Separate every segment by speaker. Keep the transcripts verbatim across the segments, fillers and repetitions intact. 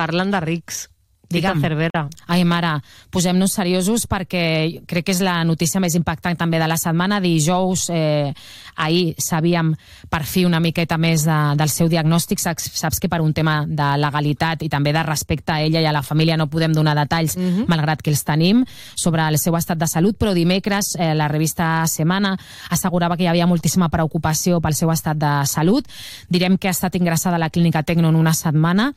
Speaker 1: parlen de rics.
Speaker 2: Tita
Speaker 1: Cervera.
Speaker 2: Ai, mare, posem-nos seriosos perquè crec que és la notícia més impactant també de la setmana. Dijous, eh, ahir sabíem per fi una miqueta més de, del seu diagnòstic. Saps, saps que per un tema de legalitat i també de respecte a ella i a la família no podem donar detalls, uh-huh. malgrat que els tenim, sobre el seu estat de salut, però dimecres eh, la revista Semana assegurava que hi havia moltíssima preocupació pel seu estat de salut. Direm que ha estat ingressada a la clínica Tecno en una setmana,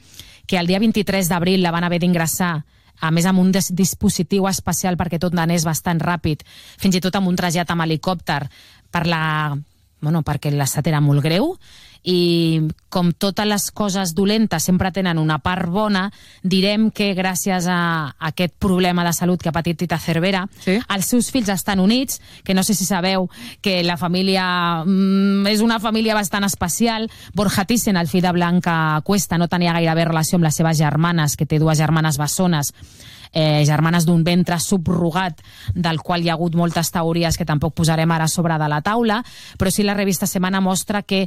Speaker 2: que el dia vint-i-tres d'abril la van haver d'ingressar, a més amb un dispositiu especial perquè tot anés bastant ràpid, fins i tot amb un trasllat amb helicòpter, per la, bueno, perquè l'estat era molt greu, i com totes les coses dolentes sempre tenen una part bona, direm que gràcies a aquest problema de salut que ha patit Tita Cervera, sí? Els seus fills estan units, que no sé si sabeu que la família mm, és una família bastant especial. Borja Thyssen, el fill de Blanca Cuesta, no tenia gairebé relació amb les seves germanes, que té dues germanes bessones, Eh, germanes d'un ventre subrogat, del qual hi ha hagut moltes teories que tampoc posarem ara sobre de la taula, però sí la revista Semana mostra que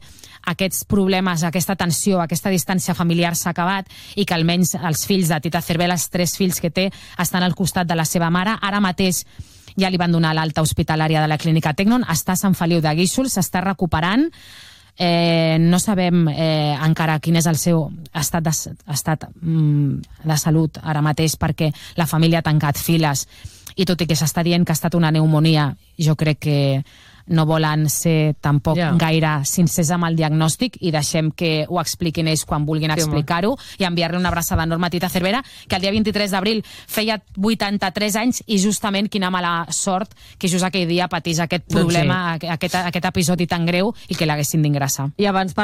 Speaker 2: aquests problemes, aquesta tensió, aquesta distància familiar s'ha acabat i que almenys els fills de Tita Cervera, els tres fills que té, estan al costat de la seva mare. Ara mateix ja li van donar l'alta hospitalària de la clínica Tecnon, està a Sant Feliu de Guíxols, s'està recuperant. Eh, no sabem eh, encara quin és el seu estat, de, estat mm, de salut ara mateix, perquè la família ha tancat files, i tot i que s'està dient que ha estat una pneumònia, jo crec que no volen ser tampoc yeah. gaire sincers amb el diagnòstic, i deixem que ho expliquin ells quan vulguin sí, explicar-ho, i enviar-li una abraçada enorme a Tita Cervera, que el dia vint-i-tres d'abril feia vuitanta-tres anys, i justament quina mala sort que just aquell dia patís aquest problema, doncs sí. aquest, aquest episodi tan greu, i que l'haguessin d'ingressar.
Speaker 1: I abans